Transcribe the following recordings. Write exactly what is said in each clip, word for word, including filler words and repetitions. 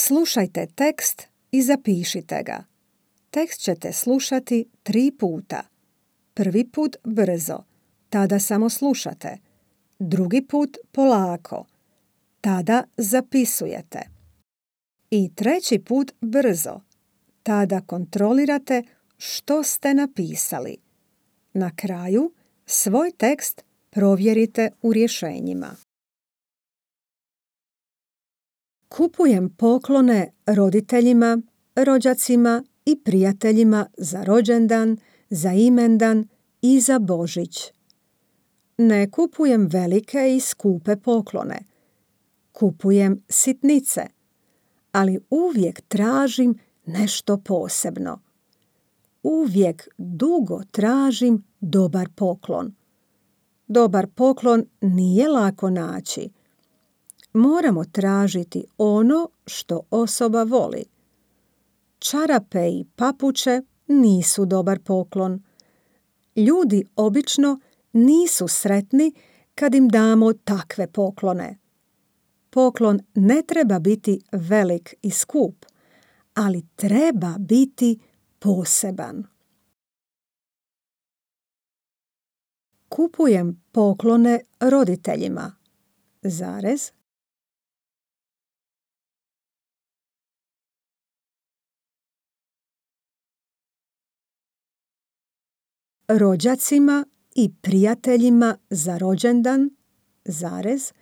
Slušajte tekst i zapišite ga. Tekst ćete slušati tri puta. Prvi put brzo, tada samo slušate. Drugi put polako, tada zapisujete. I treći put brzo, tada kontrolirate što ste napisali. Na kraju svoj tekst provjerite u rješenjima. Kupujem poklone roditeljima, rođacima i prijateljima za rođendan, za imendan i za Božić. Ne kupujem velike i skupe poklone. Kupujem sitnice, ali uvijek tražim nešto posebno. Uvijek dugo tražim dobar poklon. Dobar poklon nije lako naći. Moramo tražiti ono što osoba voli. Čarape i papuče nisu dobar poklon. Ljudi obično nisu sretni kad im damo takve poklone. Poklon ne treba biti velik i skup, ali treba biti poseban. Kupujem poklone roditeljima, zarez, rođacima i prijateljima za rođendan, zarez,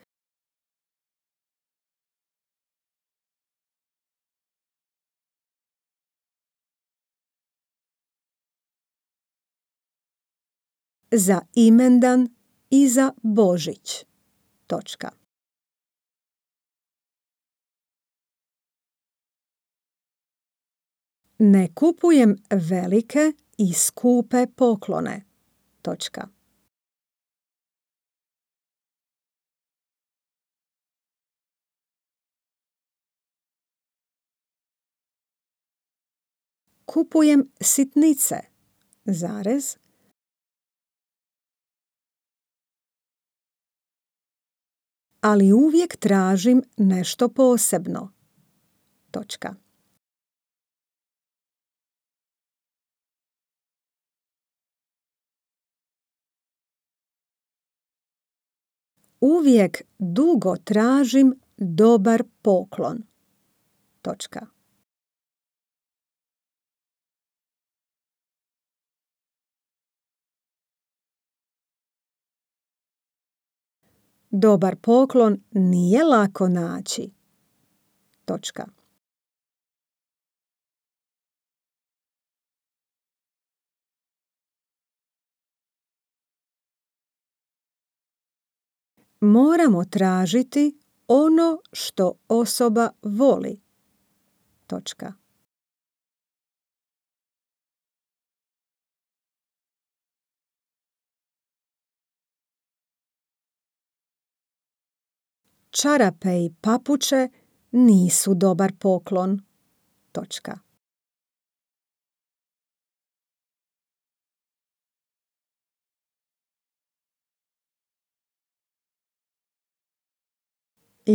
za imendan i za Božić, točka. Ne kupujem velike i skupe poklone, točka. Kupujem sitnice, zarez, ali uvijek tražim nešto posebno, točka. Uvijek dugo tražim dobar poklon, točka. Dobar poklon nije lako naći, točka. Moramo tražiti ono što osoba voli, točka. Čarape i papuče nisu dobar poklon, točka.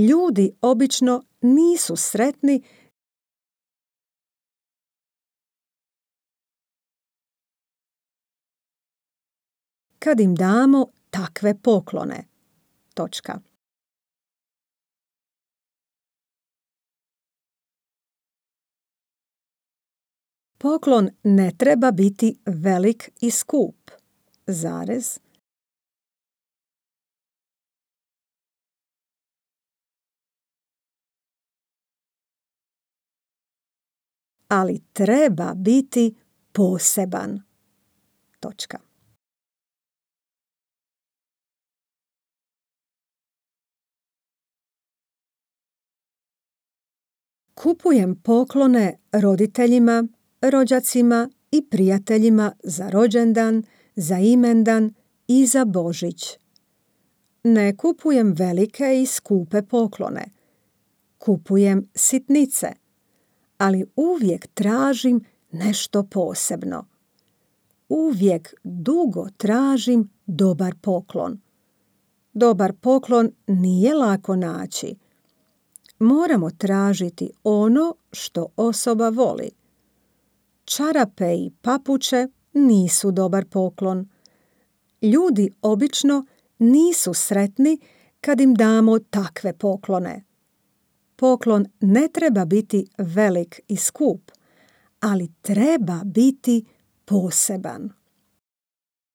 Ljudi obično nisu sretni kad im damo takve poklone, točka. Poklon ne treba biti velik i skup, zarez, ali treba biti poseban, točka. Kupujem poklone roditeljima, rođacima i prijateljima za rođendan, za imendan i za Božić. Ne kupujem velike i skupe poklone. Kupujem sitnice, ali uvijek tražim nešto posebno. Uvijek dugo tražim dobar poklon. Dobar poklon nije lako naći. moramo tražiti ono što osoba voli. Čarape i papuče nisu dobar poklon. Ljudi obično nisu sretni kad im damo takve poklone. Poklon ne treba biti velik i skup, ali treba biti poseban.